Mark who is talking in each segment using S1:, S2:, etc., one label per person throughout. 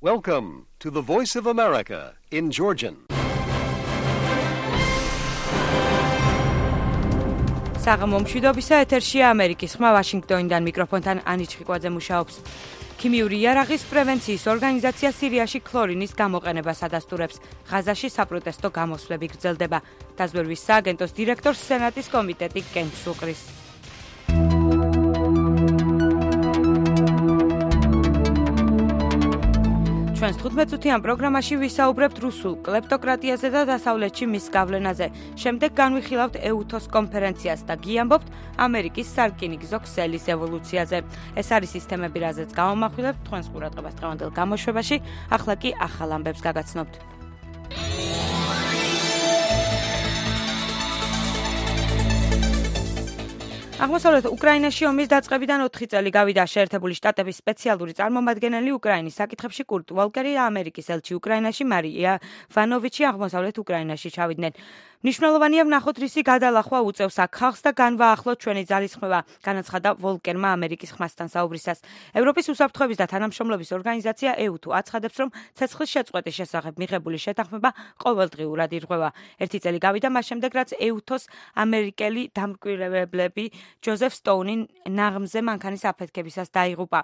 S1: Welcome to the Voice of America in Georgian.
S2: საღამომშვიდობისა ეთერშია ამერიკის ხმა ვაშინგტონიდან მიკროფონთან ანი ჩხიკვაძე მუშაობს. ქიმიური იარაღის პრევენციის ორგანიზაცია სირიაში ქლორინის გამოყენებას ადასტურებს. ღაზაში საპროტესტო გამოსვლები გრძელდება. დაზვერვის სააგენტოს დირექტორს სენატის კომიტეტი კენჭს უყრის. ჩვენს 15-წუთიან პროგრამაში ვისაუბრებთ რუსულ კლეპტოკრატიაზე და დასავლეთში მის გავლენაზე. შემდეგ განვიხილავთ EUTOS კონფერენციას და გიამბობთ ამერიკის სარკინიგზო ქსელის ევოლუციაზე. ეს არის სისტემები, რაზეც გამომახვილებთ თქვენს ყურადღებას დღევანდელ გამოშვებაში. ახლა კი ახალ ამბებს გაგაცნობთ. აღმოსავლეთ უკრაინაში ომის დაწყებიდან 4 წელი გავიდა. შეერთებული შტატების სპეციალური წარმომადგენელი უკრაინის საკითხებში კურტ ვოლკერი და ამერიკის ელჩი უკრაინაში მარია ვანოვიჩი აღმოსავლეთ უკრაინაში ჩავიდნენ. მნიშვნელოვანია ვნახოთ რისი გადალახვა უწევს აქ ხალხს და განვაახლოთ ჩვენი ძალისხმევა, განაცხადა ვოლკერმა ამერიკის ხმასთან საუბრისას. ევროპის უსაფრთხოების და თანამშრომლობის ორგანიზაცია EUTO აცხადებს, რომ ცეცხლის შეწყვეტის შესახებ მიღებული შეთანხმება ყოველდღიურად ირღვევა. 1 წელი გავიდა მას შემდეგ, რაც EUTO-ს ამერიკელი დამკვირვებლები ჯოზეფ სტოუნი ნაღმზე მანქანის აფეთქებისას დაიღუპა.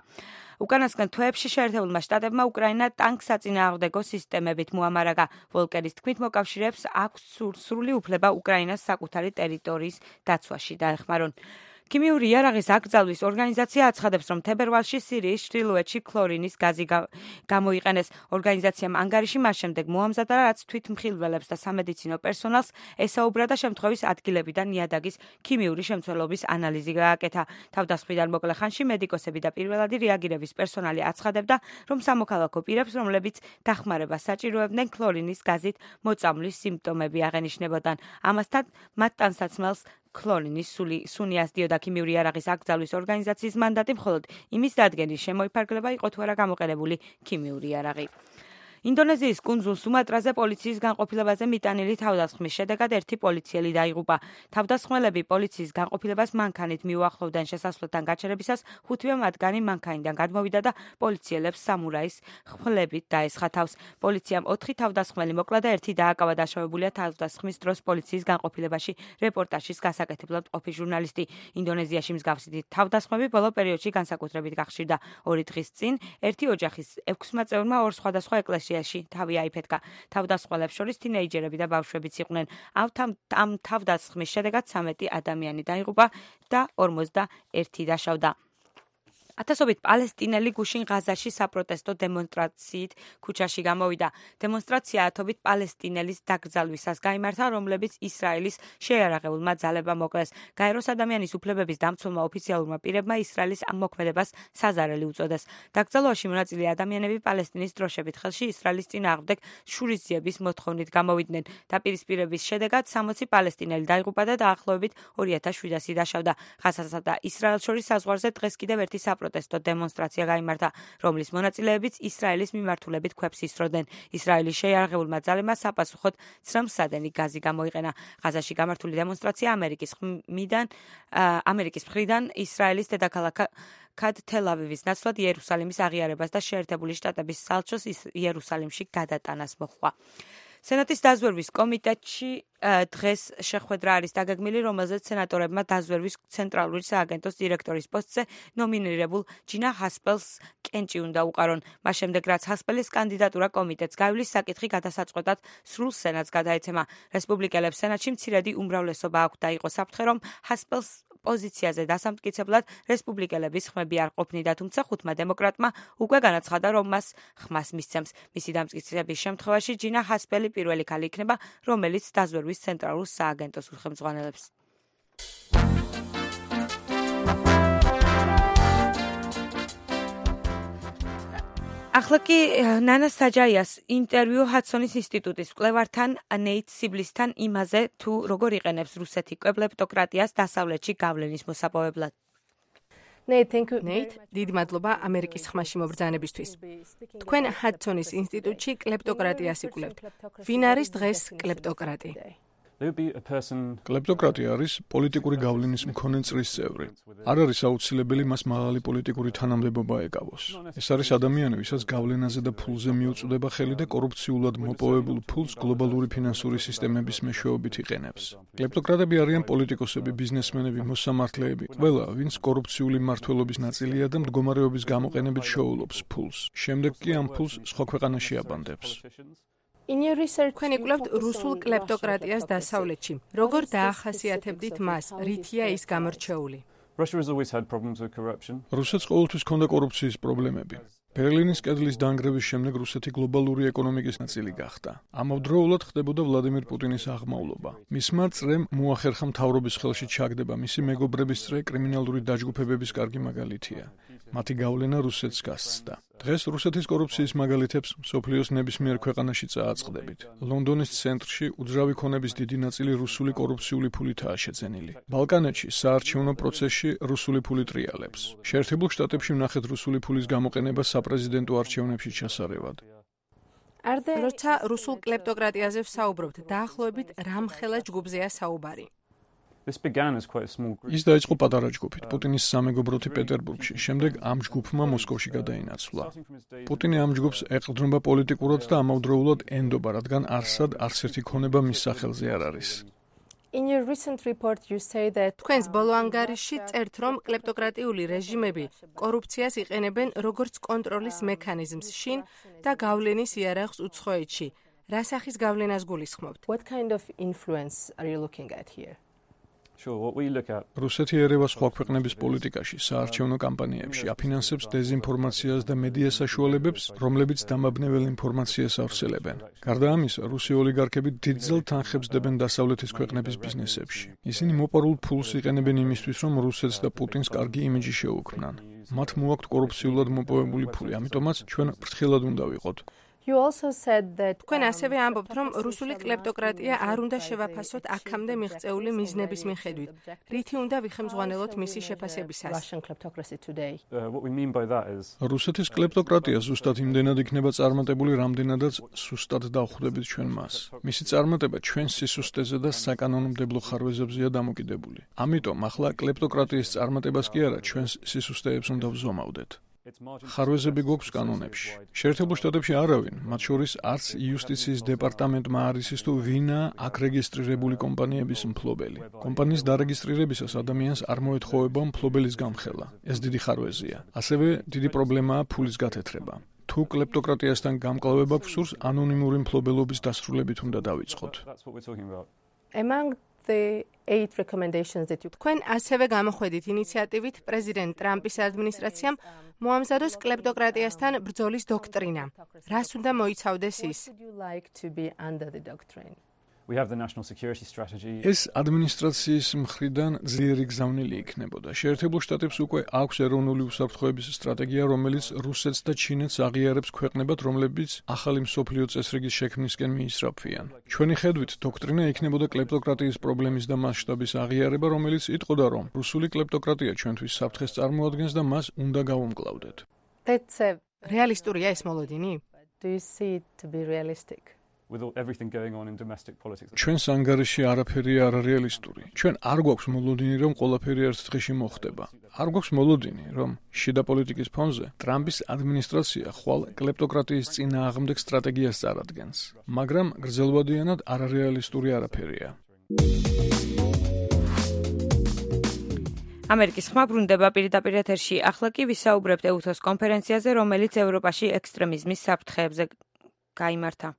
S2: უკანასკნელ თვეებში შეერთებულმა შტატებმა უკრაინა ტანკსაწინააღმდეგო სისტემებით მოამარაგა. ვოლკერის თქმით, მოკავშირეებს აქვს სრული უფლება უკრაინას საკუთარი ტერიტორიის დაცვაში დაეხმარონ. ქიმიური იარაღის აკრძალვის ორგანიზაცია აცხადებს, რომ თებერვალში სირიის ჩრდილოეთში ქლორინის გაზი გამოიყენეს. ორგანიზაციამ ანგარიში მას შემდეგ მოამზადა, რაც თვითმხილველებს და სამედიცინო პერსონალს ესაუბრა და შემთხვევის ადგილებიდან ნიადაგის ქიმიური შემცველობის ანალიზი გააკეთა. თავდასხმიდან მოკლე ხანში მედიკოსები და პირველადი რეაგირების პერსონალი აცხადებდა, რომ სამოქალაქო პირებს, რომლებიც დახმარებას საჭიროებდნენ, ქლორინის გაზით მოწამვლის სიმპტომები აღენიშნებოდან. ამასთან მათ ტანსაცმელს ქლორინის სუნი ასდიოდა. ქიმიური იარაღის აკრძალვის ორგანიზაციის მანდატი მხოლოდ იმის დადგენის შემოიფარგლება იყო თუ არა გამოყენებული ქიმიური იარაღი. ინდონეზიის კუნძულ სუმატრაზე პოლიციის განყოფილებაზე მიტანილი თავდასხმის შედეგად 1 პოლიციელი დაიღუპა. თავდასხმელები პოლიციის განყოფილებას მანქანით მიუახლოვდნენ შესასვლელთან გაჩერებისას, 5-ვე მათგანი მანქანიდან გადმოვიდა და პოლიციელებს სამურაის ხმლებით დაესხა თავს. პოლიციამ 4 თავდასხმელი მოკლა და 1 დააკავა. დაშავებულია თავდასხმის დროს პოლიციის განყოფილებაში რეპორტაჟის გასაკეთებლად მყოფი ჟურნალისტი. ინდონეზიაში მსგავსი თავდასხმები ბოლო პერიოდში განსაკუთრებით გახშირდა. 2 დღის წინ 1 ოჯახის 6 წევრმა 2 სხვადასხვა ეკლესიაში თავი აიფეთქა. თავდასხმელებს შორის თინეიჯერები და ბავშვებიც იყვნენ. ამ თავდასხმის შედეგად 13 ადამიანი დაიღუპა და 41 დაშავდა. ათასობით პალესტინელი გუშინ ღაზაში საპროტესტო დემონსტრაციით ქუჩაში გამოვიდა. დემონსტრაცია ათობით პალესტინელის დაკრძალვისას გაიმართა, რომლებიც ისრაელის შეიარაღებულმა ძალებმა მოკლეს. გაეროს ადამიანის უფლებების დამცველმა ოფიციალურმა პირებმა ისრაელის ამ მოქმედებას საზარელი უწოდეს. დაკრძალვაში მონაწილე ადამიანები პალესტინის დროშებით ხელში ისრაელის წინააღმდეგ შურისძიების მოთხოვნით გამოვიდნენ. დაპირისპირების შედეგად 60 პალესტინელი დაიღუპა და დაახლოებით 2700 დაშავდა. ღაზასა და ისრაელს შორის საზღვარზე დღეს კიდევ ერთი საპროტესტო დემონსტრაცია გაიმართა, რომლის მონაწილეებიც ისრაელის მიმართულებით ქვებს ისროდნენ. ისრაელის შეიარაღებულმა ძალებმა საპასუხოდ ცრემლსადენი გაზი გამოიყენა. ღაზაში გამართული დემონსტრაცია ამერიკის მხრიდან ისრაელის დედაქალაქად თელ-ავივის ნაცვლად იერუსალიმის აღიარებას და შეერთებული შტატების სალჩოს იერუსალიმში გადატანას მოჰყვა. სენატის დაზვერვის კომიტეტში დღეს შეხვედრა არის დაგეგმილი, რომელზეც სენატორებმა დაზვერვის ცენტრალური სააგენტოს დირექტორის პოსტზე ნომინირებულ ჯინა ჰასპელს კენჭი უნდა უყარონ. მას შემდეგ, რაც ჰასპელის კანდიდატურა კომიტეტს გაივლის, საკითხი გადასაწყვეტად სრულ სენატს გადაეცემა. რესპუბლიკელებს სენატში მცირედი უმრავლესობა აქვთ და იყო საფრთხე, რომ ჰასპელს პოზიციაზე დასამტკიცებლად რესპუბლიკელების ხმები არ ყოფნიდა, თუმცა 5 დემოკრატმა უკვე განაცხადა, რომ მას ხმას მისცემს. მისი დამტკიცების შემთხვევაში ჯინა ჰასპელი პირველი ქალი იქნება, რომელიც დაზვერვის ცენტრალურ სააგენტოს უხელმძღვანელებს. ახლა კი ნანა საჯაიას ინტერვიუ ჰადსონის ინსტიტუტის მკვლევართან ნეით სიბლისთან იმაზე, თუ როგორ იყენებს რუსეთი კლეპტოკრატიას დასავლეთში გავლენის მოსაპოვებლად.
S3: ნეით, დიდი მადლობა ამერიკის ხმაში მობრძანებისთვის. თქვენ ჰადსონის ინსტიტუტში კლეპტოკრატიას იკვლევთ. ვინ არის დღეს კლეპტოკრატი?
S4: კლეპტოკრატია არის პოლიტიკური გავლენის მქონე წრის წევრი. არ არის აუცილებელი მას მაღალი პოლიტიკური თანამდებობა ეკავოს. ეს არის ადამიანი, ვისაც გავლენაზე და ფულზე მიუწვდება ხელი და კორუფციულად მოპოვებულ ფულს გლობალური ფინანსური სისტემების მეშვეობით იყენებს. კლეპტოკრატები არიან პოლიტიკოსები, ბიზნესმენები, მოსამართლეები, ყველა, ვინც კორუფციული მმართველობის ნაწილია და მდგომარეობის გამოყენებით შეულობს ფულს. შემდეგ კი ამ ფულს სხვა ქვეყანაში აბანდებს.
S3: თქვენ იკვლევთ რუსულ კლეპტოკრატიას დასავლეთში. როგორ დაახასიათებდით მას? რითია ის გამორჩეული?
S4: რუსეთს ყოველთვის ჰქონდა კორუფციის პრობლემები. ბერლინის კედლის დანგრევის შემდეგ რუსეთი გლობალური ეკონომიკის ნაწილი გახდა. ამავდროულად ხდებოდა ვლადიმირ პუტინის აღმავლობა. მისმა წრემ მოახერხა მთავრობის ხელში ჩაგდება, მისი მეგობრების წრე კრიმინალური დაჯგუფებების კარგი მაგალითია. მათი გავლენა რუსეთს გასცდა. დღეს რუსეთის კორუფციის მაგალითებს მსოფლიოს ნებისმიერ ქვეყანაში წააწყდებით. ლონდონის ცენტრში უძრავი ქონების დიდი ნაწილი რუსული კორუფციული ფულითაა შეძენილი. ბალკანეთში საარჩევნო პროცესში რუსული ფული ტრიალებს. შეერთებულ შტატებში ვნახეთ რუსული ფულის გამოყენება საპრეზიდენტო არჩევნებში ჩასარევად.
S3: როცა რუსულ კლეპტოკრატიაზე ვსაუბრობთ, დაახლოებით რამხელა ჯგუფზეა საუბარი?
S4: ის დაიწყო პატარა ჯგუფით, პუტინის სამეგობროთი პეტერბურგში, შემდეგ ამ ჯგუფმა მოსკოვში გადაინაცვლა. პუტინი ამ ჯგუფს ეყრდნობა პოლიტიკურად და ამავდროულად ენდობა, რადგან არსად არც ერთი ქონება მის სახელზე არ არის.
S3: თქვენს ბოლო ანგარიშში წერთ, რომ კლეპტოკრატიული რეჟიმები კორუფციას იყენებენ როგორც კონტროლის მექანიზმს შინ და გავლენის იარაღს უცხოეთში. რა სახის გავლენას გულისხმობთ?
S4: რუსეთი ერევა სხვა ქვეყნების პოლიტიკაში, საარჩევნო კამპანიებში, აფინანსებს დეზინფორმაციას და მედია საშუალებებს, რომლებიც დამაბნეველ ინფორმაციას ავრცელებენ. გარდა ამისა, რუსი ოლიგარქები დიდძალ თანხებს დებენ დასავლეთის ქვეყნების ბიზნესებში. ისინი მოპარულ ფულს იყენებენ იმისთვის, რომ რუსეთს და პუტინს კარგი იმიჯი შეუქმნან. მათ მოაქვთ კორუფციულად მოპოვებული ფული, ამიტომაც ჩვენ ფრთხილად უნდა ვიყოთ.
S3: თქვენ ასევე ამბობთ, რომ რუსული კლეპტოკრატია არ უნდა შევაფასოთ აქამდე მიღწეული მიზნების მიხედვით. რითი უნდა ვიხემძღვანელოთ მისი შეფასებისას?
S4: რუსეთის კლეპტოკრატია ზუსტად იმდენად იქნება წარმატებული, რამდენადაც სუსტად დავხვდებით ჩვენ მას. მისი წარმატება ჩვენს სისუსტეზე და საკანონმდებლო ხარვეზებზეა დამოკიდებული. ამიტომ ახლა კლეპტოკრატიის წარმატებას კი არა, ჩვენს სისუსტეებს უნდა ვზომავდეთ. ხარვეზები გვაქვს კანონებში. შეერთებულ შტატებში არავინ, მათ შორის არც იუსტიციის დეპარტამენტმა არ იცის თუ ვინაა აქ რეგისტრირებული კომპანიების მფლობელი. კომპანიის დარეგისტრირებისას ადამიანს არ მოეთხოვება მფლობელის გამხელა. ეს დიდი ხარვეზია. ასევე დიდი პრობლემაა ფულის გათეთრება. თუ კლეპტოკრატიასთან გამკლავება გსურს, ანონიმური მფლობელობის დასრულებით უნდა დავიწყოთ.
S3: თქვენ ასევე გამოხვედით ინიციატივით პრეზიდენტ ტრამპის ადმინისტრაციამ მოამზადოს კლეპტოკრატიასთან ბრძოლის დოქტრინა. რას უნდა მოიცავდეს ის?
S4: ეს ადმინისტრაციის მხრიდან ძლიერი გზავნილი იქნებოდა. შეერთებულ შტატებს უკვე აქვს ეროვნული უსაფრთხოების სტრატეგია, რომელიც რუსეთს და ჩინეთს აღიარებს ქვეყნებად, რომლებიც ახალი მსოფლიო წესრიგის შექმნისკენ მიისწრაფვიან. ჩვენი ხედვით, დოქტრინა იქნებოდა კლეპტოკრატიის პრობლემის და მასშტაბის აღიარება, რომელიც იტყოდა, რომ რუსული კლეპტოკრატია ჩვენთვის საფრთხეს წარმოადგენს და მას უნდა გავუმკლავდეთ.
S3: რეალისტურია ეს მოლოდინი?
S4: ჩვენს ანგარიში არაფერია არარეალისტური. ჩვენ არ გვაქვს მოლოდინი, რომ ყველაფერი ერთ დღეში მოხდება. არ გვაქვს მოლოდინი, რომ შიდა პოლიტიკის ფონზე ტრამპის ადმინისტრაცია ხვალ კლეპტოკრატიის წინააღმდეგ სტრატეგიას წარადგენს. მაგრამ გრძელვადიანად არარეალისტური არაფერია.
S2: ამერიკის ხმა ბრუნდება პირდაპირ ეთერში. ახლა კი ვისაუბრებთ EUTHOS კონფერენციაზე, რომელიც ევროპაში ექსტრემიზმის საფრთხეებზე გაიმართა.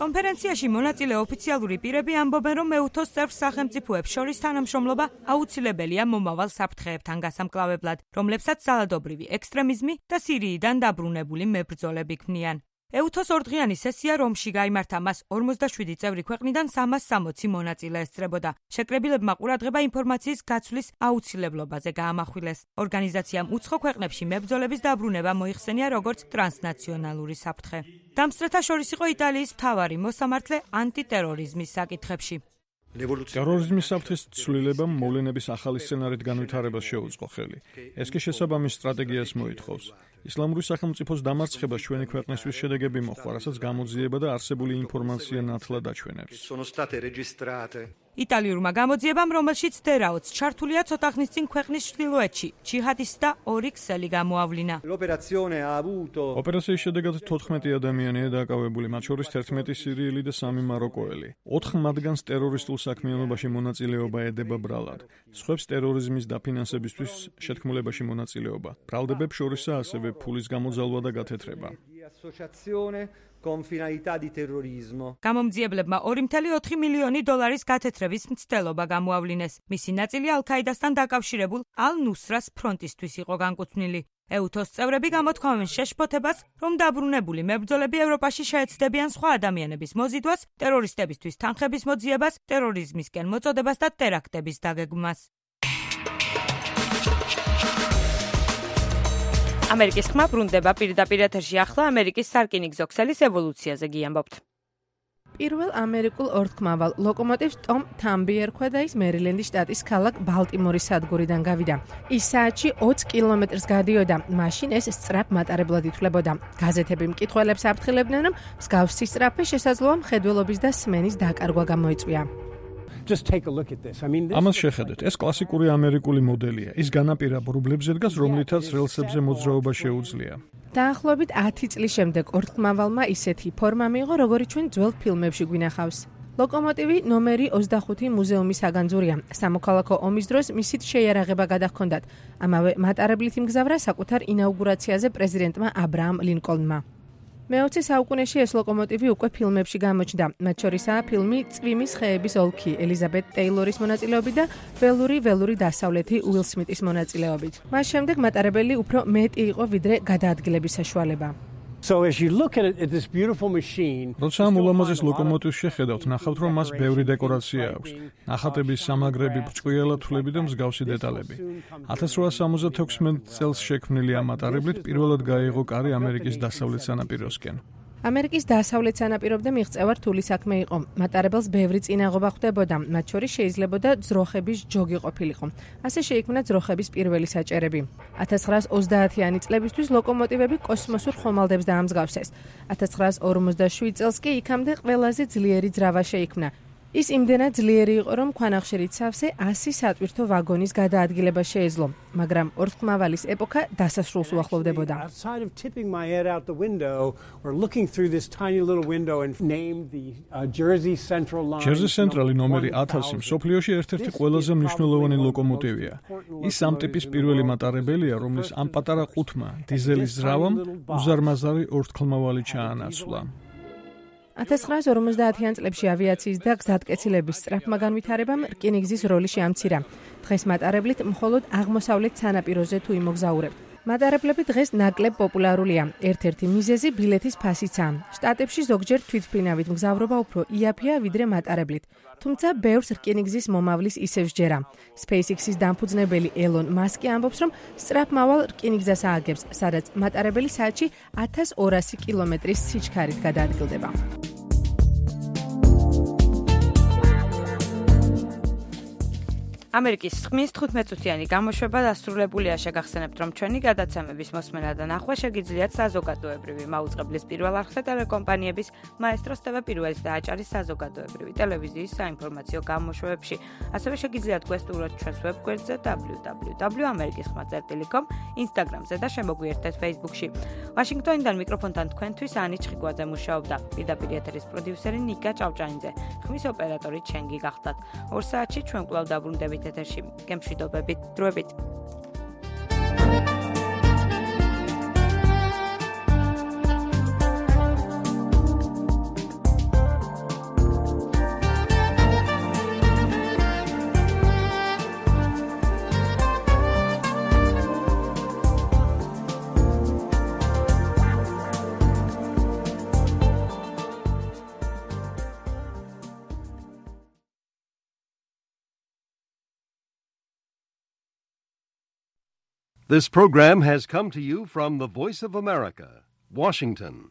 S2: კონფერენციაში მონაწილე ოფიციალური პირები ამბობენ, რომ EUTHOS წევრ სახელმწიფოებს შორის თანამშრომლობა აუცილებელია მომავალ საფრთხეებთან გასამკლავებლად, რომლებსაც ძალადობრივი ექსტრემიზმი და სირიიდან დაბრუნებული მებრძოლები ქმნიან. EUTHOS ორდღიანი სესია რომში გაიმართა, მას 47 წევრი ქვეყნიდან 360 მონაწილე ესწრებოდა. შეკრებილებმა ყურადღება ინფორმაციის გაცვლის აუცილებლობაზე გაამახვილეს. ორგანიზაციამ უცხო ქვეყნებში მებრძოლების დაბრუნება მოიხსენია როგორც ტრანსნაციონალური საფრთხე. დამსწრეთა შორის იყო იტალიის მთავარი მოსამართლე ანტიტერორიზმის საკითხებში.
S4: ტერორიზმის საფრთხის ცვლილებამ მოვლენების ახალი სცენარით განვითარებას შეუწყო ხელი. ეს კი შესაბამის სტრატეგიას მოითხოვს. ისლამური სახელმწიფოს დამარცხებას ჩვენი ქვეყნისთვის შედეგები მოჰყვა, რასაც გამოძიება და არსებული ინფორმაცია ნათლად აჩვენებს.
S2: იტალიურმა გამოძიებამ, რომელშიც თერაოც ჩართულია ცოტა ხნის წინ ქვეყნის ჩრდილოეთში, ჯიჰადისტთა 2 ქსელი გამოავლინა.
S4: ოპერაციის შედეგად 14 ადამიანია დაკავებული, მათ შორის 11 სირიელი და 3 მაროკოელი. 4 მათგანს ტერორისტულ საქმიანობაში მონაწილეობა ედება ბრალად. სხვებს ტერორიზმის დაფინანსებისთვის შეთქმულებაში მონაწილეობა. ბრალდებებს შორისაა ასევე ფულის გამოძალვა და გათეთრება.
S2: გამომძიებლებმა 2.4 მილიონი დოლარის გათეთრების მცდელობა გამოავლინეს. მისი ნაწილი ალ-ქაიდასთან დაკავშირებულ ალ-ნუსრას ფრონტისთვის იყო განკუთვნილი. EUTOS წევრები გამოთქვამენ შეშფოთებას, რომ დაბრუნებული მებრძოლები ევროპაში შეეცდებიან სხვა ადამიანების მოზიდვას, ტერორისტებისთვის თანხების მოძიებას, ტერორიზმისკენ მოწოდებას და ტერაქტების დაგეგმვას. ამერიკის ხმა ბრუნდება პირდაპირ ეთერში ახლა ამერიკის სარკინიგზო ქსელის ევოლუციაზე გიამბობთ.
S3: პირველ ამერიკულ ორთქმავალ ლოკომოტივს ტომ თამბი ერქვა და ის მერილენდის შტატის ქალაქ ბალტიმორის სადგურიდან გავიდა. ის საათში 20 კილომეტრს გადიოდა, მაშინ ეს სწრაფ მატარებლად ითვლებოდა. გაზეთები მკითხველებს აფრთხილებდნენ, რომ მსგავსი სწრაფი შესაძლოა მხედველობის და სმენის დაკარგვა გამოიწვია.
S4: ამას შეხედეთ, ეს კლასიკური ამერიკული მოდელია. ის განაპირა ბრუბლებზე დგას, რომლითაც რელსებზე მოძრაობა შეუძლია.
S3: დაახლოებით 10 წლის შემდეგ ორთქმავალმა ისეთი ფორმა მიიღო, როგორიც ჩვენ ძველ ფილმებში გვინახავს. ლოკომოტივი ნომერი 25 მუზეუმის საგანძურია. სამოქალაქო ომის დროს მისით შეიარაღება გადაჰქონდათ. ამავე მატარებლით იმგზავრა საკუთარ ინაუგურაციაზე პრეზიდენტმა აბრაამ ლინკოლნმა. მე-20 საუკუნეში ეს ლოკომოტივი უკვე ფილმებში გამოჩნდა. მათ შორისაა ფილმი წვიმის ხეების ოლქი ელიზაბეთ ტეილორის მონაწილეობით და ველური დასავლეთი უილ სმიტის მონაწილეობით. მას შემდეგ მატარებელი უფრო მეტი იყო ვიდრე გადაადგილების საშუალება.
S4: როცა ამ ულამაზეს ლოკომოტივს შეხედავთ, ნახავთ, რომ მას ბევრი დეკორაცია აქვს. ნახატების სამაგრები, ბრჭყვიალა თვლები და მსგავსი დეტალები. 1876 წელს შექმნილი ამ მატარებლით პირველად გაიღო კარი ამერიკის დასავლეთ სანაპიროსკენ.
S3: ამერიკის დასავლეთ სანაპირომდე მიღწევა რთული საქმე იყო. მატარებელს ბევრი წინაღობა ხვდებოდა, მათ შორის შეიძლებოდა ძროხების ჯოგი ყოფილიყო. ასე შეიქმნა ძროხების პირველი საჭერები. 1930-იანი წლებისთვის ლოკომოტივები კოსმოსურ ხომალდებს დაამსგავსეს. 1947 წელს კი იქამდე ყველაზე ძლიერი ძრავა შეიქმნა. ის იმდენად ძლიერი იყო, რომ ქვანახშირით სავსე 100 სატვირთო ვაგონის გადაადგილება შეეძლო, მაგრამ ორთქმავალის ეპოქა დასასრულს უახლოვდებოდა.
S4: ჯერზი ცენტრალი ნომერი 1000 მსოფლიოში ერთ-ერთი ყველაზე მნიშვნელოვანი ლოკომოტივია. ის ამ ტიპის პირველი მატარებელია, რომლის ამ პატარა ყუთმა დიზელის ძრავამ უზარმაზარი ორთქმავალი ჩაანაცვლა.
S3: 1950-იან წლებში ავიაციის და გზატკეცილების სწრაფმა განვითარებამ რკინიგზის როლი შეამცირა. დღეს მატარებლით მხოლოდ აღმოსავლეთ სანაპიროზე თუ იმოგზაურებთ. მატარებლები დღეს ნაკლებ პოპულარულია. ერთ-ერთი მიზეზი ბილეთის ფასიცაა. შტატებში ზოგჯერ თვითმფრინავით მგზავრობა უფრო იაფია ვიდრე მატარებლით. თუმცა ბევრს რკინიგზის მომავლის ისევ სჯერა. SpaceX-ის დამფუძნებელი ელონ მასკი ამბობს, რომ სწრაფმავალ რკინიგზას ააგებს, სადაც მატარებელი საათში 1200 კილომეტრის სიჩქარით გადაადგილდება.
S2: ამერიკის ხმის 15-წუთიანი გამოშვება დასრულებულია. შეგახსენებთ, რომ ჩვენი გადაცემების მოსმენა და ნახვა შეგიძლიათ საზოგადოებრივი მაუწყებლის პირველ არხზე ტელეკომპანიების მაესტროს TV პირველის და აჭარის საზოგადოებრივი ტელევიზიის საინფორმაციო გამოშვებებში. ასევე შეგიძლიათ გვესტუმროთ ჩვენს ვებგვერდზე www.amerikisxma.com, Instagram-ზე და შემოგვიერთდეთ Facebook-ში. ვაშინგტონიდან მიკროფონთან თქვენთვის ანი ჩხიკვაძე მუშაობდა. პირდაპირ ეთერის პროდიუსერი ნიკა ჭავჭანიძე, ხმის ოპერატორი ჩენგი გახდათ. 2 საათში ჩვენ კვლავ დაბრუნდებით ეთერში. გემშვიდობებით, დროებით.
S1: This program has come to you from the Voice of America, Washington.